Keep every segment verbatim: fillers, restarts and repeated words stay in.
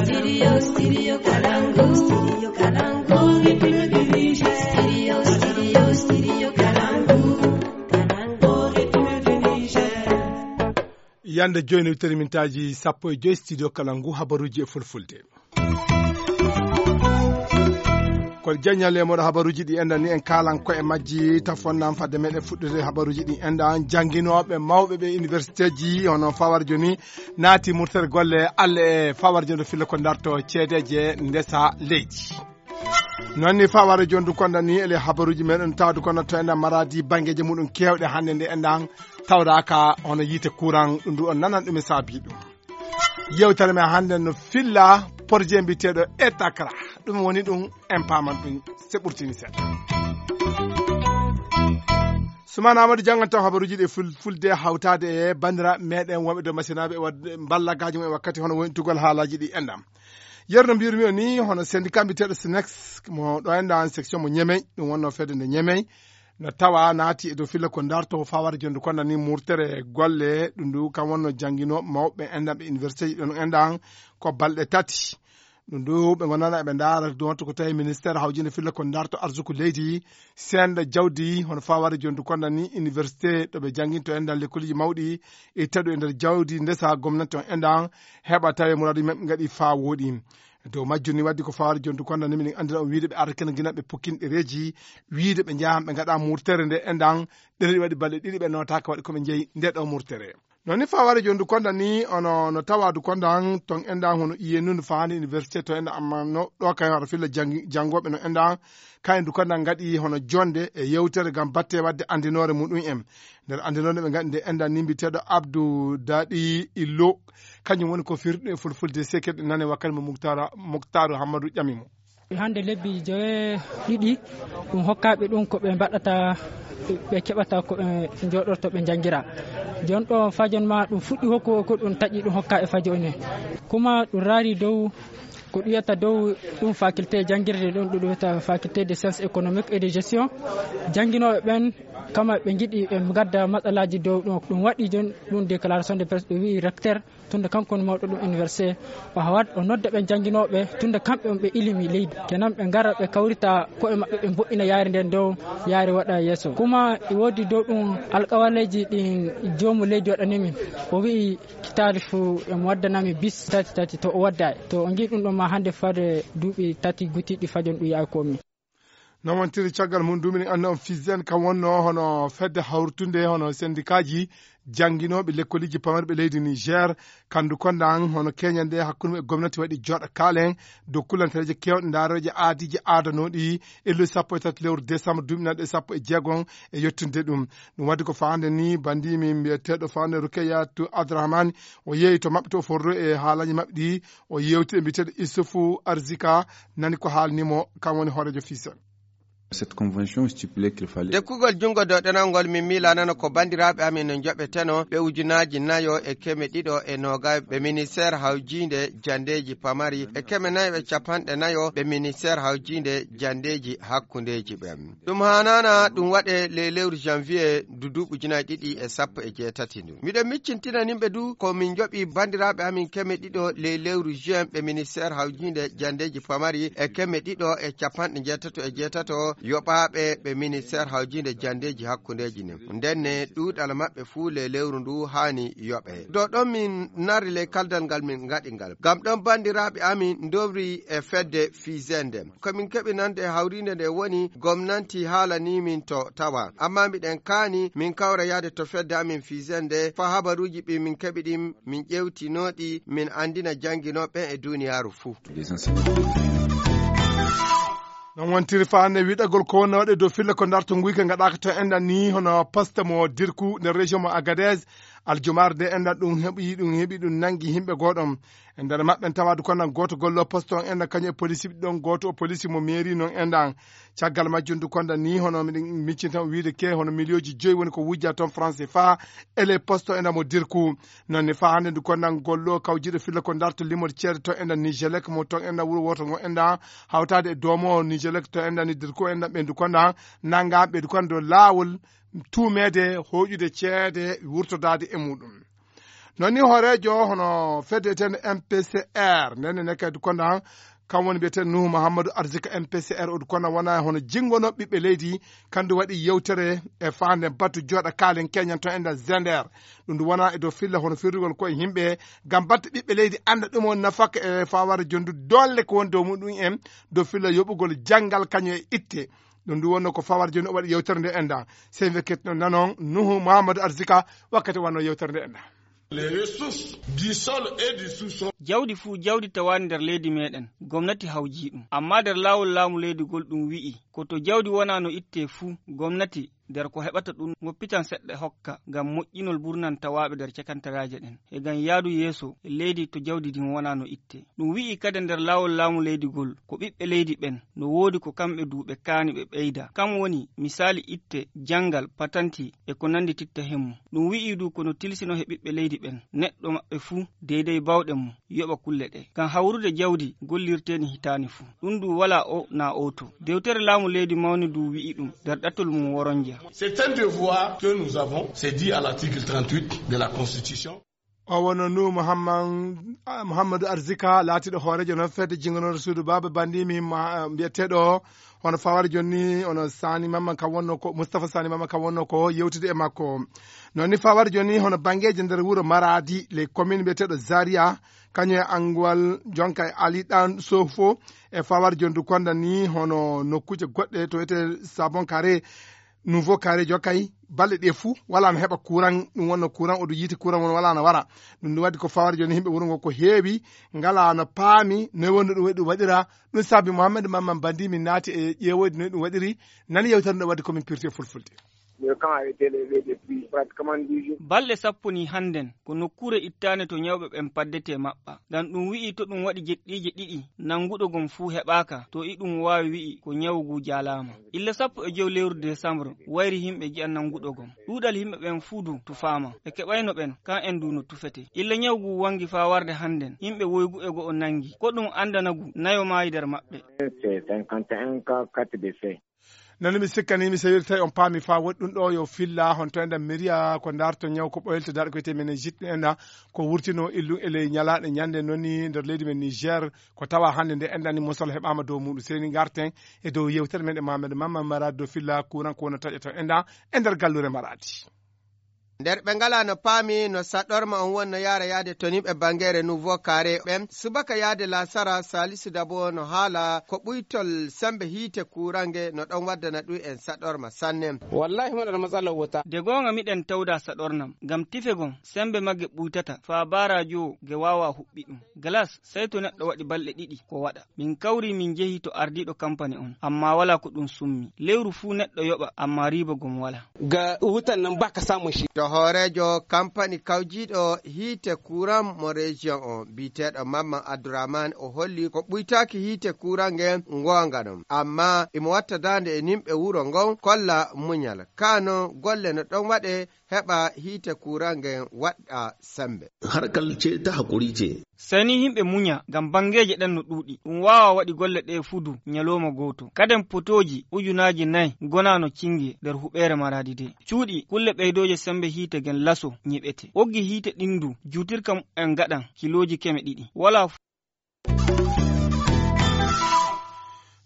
Studio, studio Kalangu. Studio Kalangu. Studio, studio, studio Kalangu. Kalangu, Studio Niger. Yande jooni, wittere mintaaji sappo e joy, studio Kalangu, habaruuji e fulfulde. Ko jaññal e moɗo habaruuji ɗi enɗan ni, en kaalan ko e majji. Tafonnam fadde meɗen fuɗɗude habaruuji ɗi enɗan, jannginooɓe mawɓe ɓe universitéji hono Fawarjo ni naati murtere golle. Alla e Fawarjo no filla ko darto ceedeeje ndesa leydi. Noon ni Fawarjo ndu konda ni ele habaruuji meɗen tawde kono to enɗan Maradi banngeeji muɗum keewɗe hannde nde enɗan tawdaaka hono yiite courant ɗum ndu on nanan ɗum e saabi ɗum. Yewtere men hannde no filla projet mbiyeteeɗo Etakra. Ɗum woni ɗum en paaman ɗum se ɓurtini seeɗa. Sumana Amadou janngan taw habaruuji ɗi ful-, fulde hawtaade e banndiraaɓe meɗen wonɓe dow masinaaɓe e waɗde mballagaaji mum e wakkati hono wontugol haalaaji ɗi enɗan. Yeru no mbiyirmi o ni hono syndicat mbiyeteeɗo Sinex mo ɗo enɗan section mo Ñemey, ɗum wonno fedde nde Ñemey, no tawa naati e dow filla ko darto Fawarjo ndu konda ni murtere golle ɗum ndu kam wonno jannginooɓe mawɓe enɗan ɓe universitéji ɗon enɗan ko balɗe tati. Ɗum ndu ɓe ngonana eɓe ndaara ɗum wattu ko tawi ministère hawjinde filla ko darto arsuku leydi senda jawdi hono Fawarjo ndu konda ni université ɗo ɓe jannginto enɗan lekkoliji mawɗi e taɗu e nder jawdi ndesa gomnati on enɗan heɓa tawi muraadu maɓɓe ngaɗi faa wooɗi. Dow majjum ni waddi ko Fawarjo ndu konda ni miɗen anndira on wiide ɓe arata kene gina ɓe pukkin ɗereeji wiide ɓe njahan ɓe ngaɗa murtere nde enɗan ɗereeji waɗi balɗe ɗiɗi ɓe notaaka waɗi ko ɓe njeyi nde ɗo murtere. Noon ni Fawarjo ndu konda ni ono no tawa du konda ton enɗan hono iye nun faani université to enɗan amma no ɗo kay hoto filla janngi-, janngooɓe no enɗan kayen du konda ngaɗi hono jonde e yewtere ngam batte waɗde anndinoore muɗum en. Nder anndinoore ɓe ngaɗi nde enɗan ni mbiyeteeɗo Abdou Daɗi Illo, kañum woni ko firɗe fulfulde sekirɗe nane wakkati mo Muktara-, Muktaaru Hammadu ƴami mo. Hannde lebbi joye ɗiɗi, ɗum hokkaaɓe ɗum ko ɓe mbaɗata, ɓe keɓata ko ɓe njooɗorto ɓe njanngira. Jooni ɗo fajon ma ɗum fuɗɗi hokku ko ɗum taƴi ɗum hokka e fajo ne. Kuma ɗum raari dow ko ɗum wiyata dow ɗum faculté janngirde ɗum, ɗum wiyata faculté de sciences économiques et de gestion. Jannginooɓe ɓen, kama ɓe njiɗi ɓe ngadda matsalaaji dow ɗum. Ɗum waɗi jooni ɗum déclaration de presse, ɗum wi'i recteur, tunda kanko woni mawɗo ɗum université, o hawat, o nodda ɓen jannginooɓe, tunda kamɓe on ɓe ilimi leydi. Kenan ɓe ngara ɓe kawrita ko'e maɓɓe, ɓe mboɗɗina yaari nden dow, yaari waɗa yeeso. Kuma e woodi dow ɗum alƙawaleeji ɗin joomu leydi waɗani min. O wi'i hitaande fuu emo waddanami bis tati tati, to o waddaay. To o ngi ɗum ɗon ma hannde fade duuɓi tati gutiiɗi fajon ɗum yahay komi. No wontiri caggal mum, ndu minen annda on Fisen kam wonno hono fedde hawritunde hono sendikaaji jannginooɓe lekkoliji pamarɓe leydi Niger, kandu konda an hono keñande hakkunde e gomnati waɗi jooɗa kaalen dow kullantereeje keewɗe ndaareeje aadiije aadanooɗi e lewru sappo e tati lewru décembre duuɓi naɗe sappo e jeegom e yettude ɗum. Ɗum waɗi ko faande ni bandimi mbiyeteeɗo faande Rukeyatu Abdourahmane, o yeeyi to maɓɓe to o forro e haalaji maɓɓe ɗi, o yewti e mbiyeteeɗo Issoufou Arzika, nani ko haalni mo, kam woni hooreejo Fisen. Cette convention stipulait qu'il fallait Tekkugol junngo dow ɗenal ngol min miilanano ko banndiraaɓe amin no njoɓeteno ɓe ujunaaji nayo e keme ɗiɗo e noogay ɓe ministère hawjiinde janndeeji pamari e keme nayo e capanɗe nayo ɓe ministère hawjiinde janndeeji hakkundeeji ɓen. Ɗum haanaana ɗum waɗe ley lewru janvier ndu duuɓi ujunaaji ɗiɗi e sappo e jeetati ndu. Miɗo miccintina nimɓe du ko min njoɓi banndiraaɓe amin keme ɗiɗo ley lewru juin ɓe ministère hawjiinde janndeeji pamari e keme ɗiɗo e capanɗe njeetato e jeetato yoɓaaɓe ɓe ministère hawjiinde janndeeji hakkundeeji nin. Ndenne ɗuuɗal maɓɓe fuu ley lewru ndu haani yoɓe. Dow ɗon min narri ley kaldal ngal min ngaɗi ngal. Ngam ɗon banndiraaɓe amin ndowri e fedde Fisen nden. Ko min keɓi nande e hawriinde nde woni gomnanti haalanii min to tawa. Ammaa miɗen kaani min kawra yahde to fedde amin Fisen nde faa habaruuji ɗi min keɓi ɗin min ƴeewtinoo ɗi min anndina jannginooɓe ɓen e duuniyaaru fuu. Non wontiri faande wiɗagol ko wonno waɗe dow filla ko darto nguyka ngaɗaaka to enɗan ni hono poste mo Dirku nder région mo Agadez. Aljumaare nde enɗan ɗum heɓi, ɗum heɓi, ɗum nanngi yimɓe gooɗon. E nder maɓɓe en tawaade kono gooto gollo poste on enɗan kañum e police ɗon gooto o police mo mairie non enɗan. Caggal majjum du konda ni hono miɗen miccinta o wiide ke hono miliyooji joyi woni ko wujja toon franc C F A ele poste enɗan mo Dirku. Noon ne faa hannde ndu konda gollo kawjiiɗo filla ko darto limol ceede to enɗan Nigelec mo toon enɗan wuro wooto ngo enɗan hawtaade e doomo Nigelec to enɗan ni Dirku enɗan ɓe ndu konda nannga ɓe ndu konda laawol tuumeede hooƴude ceede wurtodaade e muɗum. Noon ni hooreejo hono fedde wiyeteende M P C R, nden ne kadi konda, kam woni mbiyeteeɗo Nuhu Mahamadou Arzika. M P C R o konda wona hono jinngono ɓiɓɓe leydi, kandu waɗi yewtere e faande batu jooɗa kaalen keñan to enda Zender. Ɗum ndu wona e dow filla hono firrugol ko e yimɓe, ngam batte ɓiɓɓe leydi annda ɗum on nafaka e fawaade jondu dolle ko woni dow muɗum en, dow filla yoɓugol janngal kañum e itte. Ɗum ndu wonno ko fawaade jondu o waɗi yewtere nde enda. Sey wekketno nanon Nuhu Mahamadou Arzika wakkati wonno yewtere nde enda. Les ressources du sol et du sous-sol. Jawdi fuu jawdi tawaani nder leydi meeɗen, gomnati hawjii ɗum. Ammaa nder laawol laamu leydi ngol ɗum wi'i, ko to jawdi wonaa no ittee fuu, gomnati nder ko heɓata ɗum woppitan seɗɗa hokka ngam moƴƴinol burnantawaaɓe nder cakantaraaje ɗen, e ngam yaadu yeeso e leydi to jawdi ndin wonaa no ittee. Ɗum wi'i kadi nder laawol laamu leydi ngol, ko ɓiɓɓe leydi ɓen, no woodi ko kamɓe duu ɓe kaani ɓe ɓeyda. Kam woni misaali itte, janngal, patanti, e ko nanndititta hemmu. Ɗum wi'i duu ko no tilsino he ɓiɓɓe leydi ɓen, neɗɗo maɓɓe fuu, deydey baawɗe mum, yoɓa kulle ɗe. Ngam hawrude jawdi gollirteeni hitaani fuu. Ɗum duu walaa o naa oo to. Dewtere laamu leydi mawni duu wi'i ɗum nder ɗatul mum woronja. C'est un devoir que nous avons, c'est dit à l'article trente-huit de la Constitution. O wonno Nuhu Muhammad-, Muhammadu Arzika, laatiiɗo hooreejo noon fedde jinnganoore suudu Baaba Bandimi ma-, mbiyeteeɗo hono fawaade jooni ni, hono Sani Mamman kam wonno ko, Moustapha Sani Mamman kam wonno ko yewtude e makko. Noon ni fawaade jooni ni, hono banngeeji nder wuro Maradi, les communes mbiyeteeɗo Zaria, kañum e Anguwal, jonka e Ali Ɗan Sofo, e fawaade jooni du konda ni, hono nokkuuje goɗɗe to wiyetee Sabon Kare, Nouveau Carré Jokay, balɗe ɗe fuu, walaa no heɓa courant, ɗum wonno courant, o ɗum yiite courant won walaa no wara. Ɗum ɗum waɗi ko fawaade jooni yimɓe wuro ngo ko heewi, ngalaa no paami, noy wonno ɗum waɗi ɗum waɗira. Ɗum saabi Mohamed Mamman Bandi min naati e ƴeewoyde noy ɗum waɗiri, nani yewtere nde waɗi ko min pirti e fulfulde. Le camp a été levé depuis pratiquement dix jours. Balɗe sappo ni hannden, ko nokkuure ittaande to ñawɓe ɓen paddetee maɓɓa. Ngam ɗum wi'i to ɗum waɗi jeɗɗiije ɗiɗi, nannguɗo gom fuu heɓaaka, to iɗum waawi wi'i ko ñawu ngu jaalaama. Illa sappo e jowi lewru desambre, wayri yimɓe nji'a nannguɗo gom. Ɗuuɗal yimɓe ɓen fuu du tufaama. Ɓe keɓayno ɓen, kan en du no tufete. Illa ñawu ngu wanngi faa warde hannden, yimɓe woygu e go'o nanngi. Ko ɗum anndana ngu, nayo maayi nder maɓɓe. C'est cinquante et un cas, quatre décès. Nani mi sikkani, mi sewirta on paami faa woɗɗi ɗum ɗo yo filla, hon to enda miriya ko darto ñaw ko ɓoylte darɗe ko wiyetee meningite enda ko wurtino illum e ley ñalaaɗe ñande noni nder leydi men Niger, ko tawa hannde nde enda ni mosol heɓaama dow muɗum. Seni ngarten e dow yewtere men e Mamadou Mamma Marade dow filla courant ko wona taƴa to enda e nder gallure Maradi. Nder ɓe ngalaa no paami no saɗorma on wonno yaara yaade to nimɓe bangeere Nouveau Carré ɓen, subaka yaade laasara Salisu Dabo no haala ko ɓuytol sembe hiite kuurange no ɗon waddana ɗum en saɗorma sanne. Wallahi muna da matsalar wuta. De goonga miɗen tawda saɗornam, ngam tife gon sembe magge ɓuytata, faa baaraajo ge waawa huɓɓi ɗum. Galas, sey to neɗɗo waɗi balɗe ɗiɗi ko waɗa. Min kawri min njehi to ardiiɗo kampani on, ammaa walaa ko ɗum summi. Lewru fuu neɗɗo yoɓa, ammaa riiba gom walaa. Ga wutan nan ba ka samun shi. To hooreejo kampani kawjiiɗo hiite kuuran mo rejiyon on, biyeteeɗo Mamman Abdourahmane, o holli ko ɓuytaaki hiite kuuran ngen ngoonga non. Ammaa imo watta daande e nimɓe wuro ngon kolla muñal. Kaa non golle no ɗon waɗe heɓa hiite kuuran ngen waɗa sembe. Harkar ce ta haƙuri ce. Sey ni yimɓe muña, ngam banngeeje ɗen no ɗuuɗi. Ɗum waawaa waɗi golle ɗee fuu du ñalooma gooto. Kaden potooji ujunaaji nay ngonaa no cinnge nder huɓeere Maraadi de. Cuuɗi, kulle ɓeydooje semmbe hiite gen laso ñiɓete. Ɓoggi hiite ɗin du, juutirka mumen ngaɗan kilooji keme ɗiɗi. Walaa fu-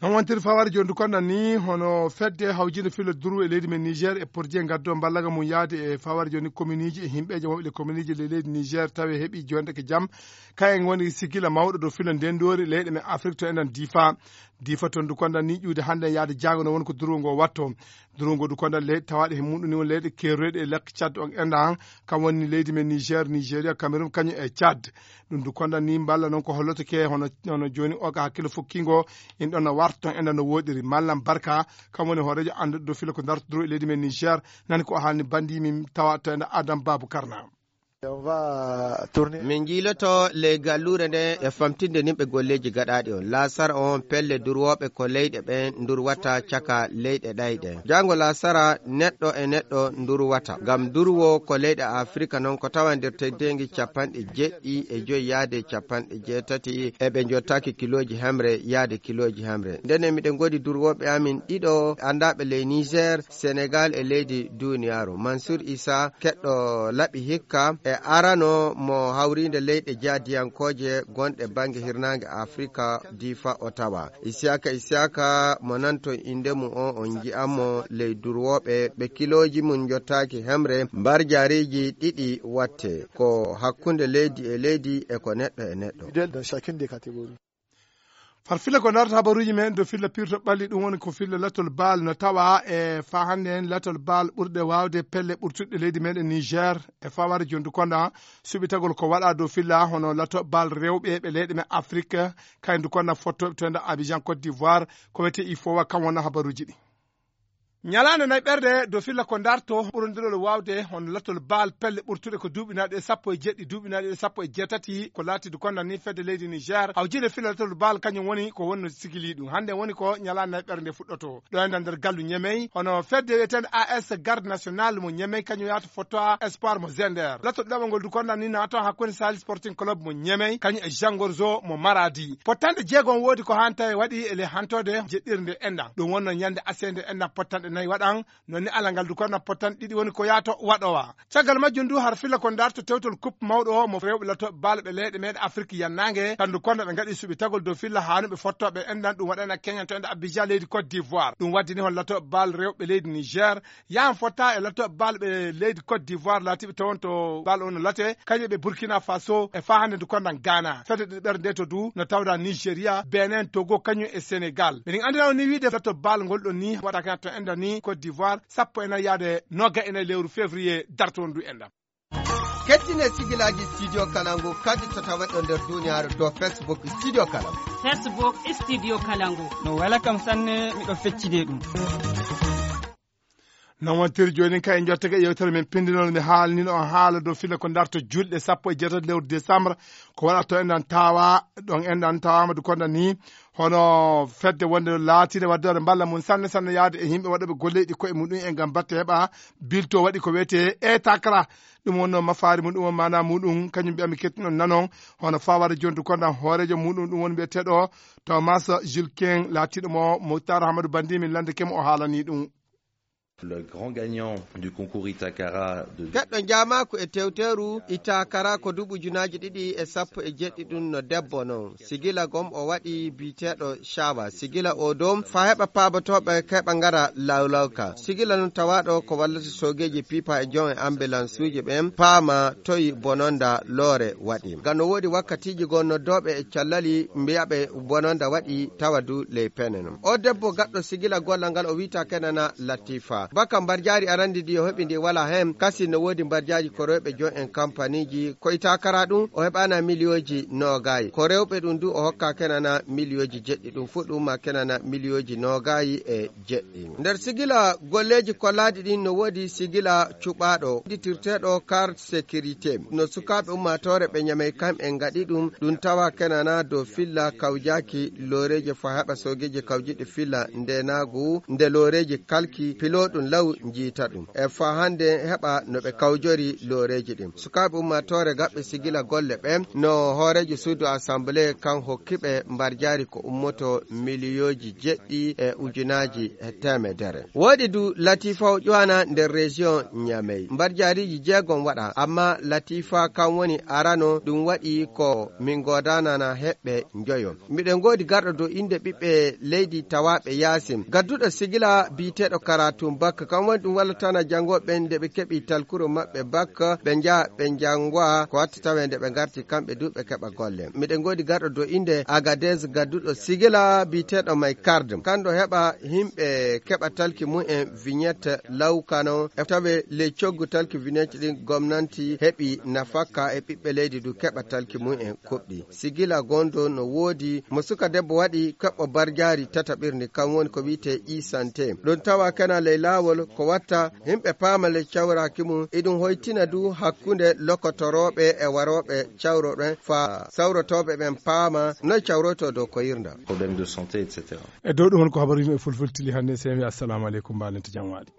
Non wontiri fawaade jooni du konda ni, hono fedde hawjinde filo duru e leydi men Niger e porje ngaddo mballaga mum yaade e fawaade jooni kominiiji e yimɓeeje wonɓe ɗe kominiiji le leydi Niger tawi heɓi jonde ke jam. Kayen woni sigila mawɗo dow filo ndendoori leyɗe men Afrik to enen Difa. Difa ton du konda ni ƴuude hannde yaade jaago no woni ko duru ngo watto. Duru ngo du konda leyɗe tawaaɗe he muɗum ni woni leyɗe keeroyɗe e lekki Tchad on enda han. Kam woni leydi men Niger, Nigeria, Cameroun, kañum e Tchad. Ɗum du konda ni mballa noon ko holloto ke hono, hono jooni o ka hakkille fukkingo in ɗon no warto en ɗon no woɗiri. Mallam Barka, kam woni hooreejo annduɗo dow filo ko dartotoo e leydi men Niger, nani ko o haalni bandi min tawa to enda Adam Babu Karna. Min njiiloto ley galluure nde e famtinde nimɓe golleeji gaɗaaɗi on. Laasara on pelle durwooɓe ko leyɗe ɓen ndurwata caka leyɗe ɗayɗe. Janngo laasara neɗɗo e neɗɗo ndurwata. Ngam durwo ko leyɗe Afirika non ko tawa nder teddeengi capanɗe jeɗɗi e joyi yaade capanɗe jeetati e ɓe njottaaki kilooji hemre yaade kilooji hemre. Ndene miɗen ngoodi durwooɓe amin ɗiɗo anndaaɓe ley Niger, Senegal e leydi duniyaaru. Mansour Issa, keɗɗo laɓi hikka, e E arano mo hawriinde leyɗe jaadiyankooje gonɗe bannge hirnaange Afrika diifa o tawa. Isiyaka Isiyaka mo nanton innde mum o, on nji'an mo ley durwooɓe ɓe kilooji mum njottaaki hemre mbarjaariiji ɗiɗi watte. Ko hakkunde leydi e leydi e ko neɗɗo e neɗɗo. Dans chacune des catégories. Far filla ko darata habaruuji men dow filla pirto ɓalli, ɗum woni ko filla latol baal no tawa e fa hannde en latol baal ɓurɗe waawde pelle ɓurtuɗe leydi meɗen Niger. E fawaade jondu konda suɓitagol ko waɗa dow filla hono lato baal rewɓe ɓe leyɗe men Afrique, kay ndu konda fottoɓe to enda Abidjan Côte d'Ivoire, ko wiyete ifowa kam wona habaruuji ɗi. Ñalaande nayi ɓerde dow filla ko darto ɓurondirol waawde hono latol baal pelle ɓurtuɗe ko duuɓinaaɗe sappo e jeɗɗi, duuɓinaaɗe sappo e jeetati, ko laati du konda ni fedde leydi Niger hawjinde filla latol baal kañum woni ko wonno sigili ɗum. Hannde woni ko ñalaande nayi ɓerde nde fuɗɗoto ɗo enda nder gallu Ñemey, hono fedde wiyeteende A S Garde Nationale mo Ñemey kañum yaata fotto a Espoir mo Zender. Latol ɗiɗaɓol ngol du konda ni naato hakkunde Sahel Sporting Club mo Ñemey kañum e Jangorzo mo Maradi. Pottanɗe jeegom woodi ko hanta e waɗi e le hantode jeɗɗirde enɗam. Ɗum wonno ñande asende enɗam pottanɗe nayi waɗan. Non ni ala ngal du konda pottanɗe ɗiɗi woni ko yaato waɗowa. Caggal majjum du har filla ko darto tewtol coupe mawɗo o mo rewɓe latooɓe baal ɓe leyɗe meɗen Afrique yannaange. Kandu konda ɓe ngaɗi suɓitagol dow filla haanuɓe fottoɓe enɗam, ɗum waɗana keñan to enda Abidjan leydi Côte d'Ivoire. Ɗum waddi ni hon latooɓe baal rewɓe leydi Niger yahan fotta e latooɓe baal ɓe leydi Côte d'Ivoire laatiɓe tawon to baal on no late kañum ɓe Burkina Faso e fa hannde ndu kondan Ghana. Fedde ɗiɗi ɓerde nde to du no tawda Nigeria, Benin, Togo kañum e Sénégal. Miɗen anndina on ni wiide latol baal ngol ɗon ni waɗaka to enda ni Côte d'Ivoire sappo e nayi yaade noga e nayi lewru février darto on du enɗam. Kettine sigilaaji Studio Kalangu kadi to tawaɗo nder duniyaaru dow Facebook Studio Kalangu. Facebook Studio Kalangu. No wela kam sanne, miɗo feccide ɗum. Non wontir jooni kay en jottake e yewtere men pindinol, mi haalnino on haala dow filla ko darto julɗe sappo e jeetati lewru décembre, ko waɗa to enɗan tawa, ɗon enɗan tawaama du konda ni, hono fedde wonde laatiinde waddoore mballa mum sanne sanne yaade e yimɓe waɗooɓe golleeji koye muɗum en ngam batte heɓa bilto waɗi ko wiyetee e takra. Ɗum wonno mafaari muɗum on maana muɗum, kañum mbiyami kettuɗon nanon, hono fawara jontu konda hooreejo muɗum, ɗum woni mbiyeteeɗo Thomas Julquin, laatiiɗo mo Moutar Hamadou Bandi, min lande kemo o haalani ɗum. Le grand gagnant du concours Itakara de Keɗɗo jaamaaku e tewteeru Itakara ko duuɓi ujunaaji ɗiɗi e sappo e jeɗɗi ɗum no debbo non. Sigila gom o waɗi biyeteeɗo Shawa. Sigila o dow fa heɓa paabotooɓe keɓa ngara lawlawka. Sigila non tawaaɗo ko wallata soogeeji pipa e joom e ambulansuuji ɓen paama toyi bononda loore waɗi. Ngam no woodi wakkatiiji goo noddooɓe e callali mbiyaɓe bononda waɗi tawa du ley pene non. O debbo gaɗɗo sigila gollal ngal o wiita kenana Latifa. Baka mbarjaari arandi ndi o heɓi ndi wala hen, kasi no woodi mbarjaaji ko rewɓe joom en kampaniiji ko Itakara ɗum o heɓana miliyooji noogayi. Ko rewɓe ɗum du o hokka kenana miliyooji jeɗɗi, ɗum fu ɗum ma kenana miliyooji noogayi e jeɗɗi. Nder sigila golleeji kollaaɗi ɗin no woodi sigila cuɓaaɗo, udditirteeɗo carte sécurité. No sukaaɓe ummaatoore ɓe Ñamey kam en ngaɗi ɗum, ɗum tawa kenana dow filla kawjaaki looreeji fa heɓa soogeeji kawjiɗi filla ndeenaagu nde looreeji kalki pilo ɗum law njiita ɗum. E fa hannde heɓa no ɓe kawjori looreeji ɗin. Sukaaɓe ummaatoore gaɓɓe sigila golle ɓen no hooreejo suudu assemblée kan hokki ɓe mbarjaari ko ummoto miliyooji jeɗɗi e ujunaaji e teemedere. Woodi du Latifa o ƴowana nder région Ñamey. Mbarjaariiji jeegom waɗa, amma Latifa kan woni arano ɗum waɗi ko min goodanana heɓɓe njoyo. Miɗen ngoodi garɗo dow innde ɓiɓɓe leydi tawaaɓe yaasin. Gadduɗo sigila biyeteeɗo Karatun Bak, kan woni ɗum wallatana janngooɓe ɓen nde ɓe keɓi talkuro maɓɓe Bak, ɓe njaha ɓe njanngowa ko watta tawe nde ɓe ngarti kamɓe du ɓe keɓa golle. Miɗen ngoodi garɗo dow innde Agadez gadduɗo sigila biyeteeɗo May Kard. Kanɗo heɓa yimɓe keɓa talki mum en vignette law kano e tawe ley coggu talki vignette ɗin gomnanti heɓi nafakka e ɓiɓɓe leydi du keɓa talki mum en kuɓɗi. Sigila gondo no woodi mo suka debbo waɗi keɓɓo barjaari tataɓirndi, kan woni ko wi'etee e-santé. Ɗum tawa kena ley laawol ko watta yimɓe paama ley cawraaki mum. Iɗum hoytina du hakkunde lokotorooɓe e warooɓe cawroɗen fa sawrotooɓe ɓen paama noy cawroytoo dow koyirnda. Problème de santé, et cetera. E dow ɗum woni ko habaruuji men fulfulde tili hannde. Seymi, assalamu aleykum, mbaalente jam waali.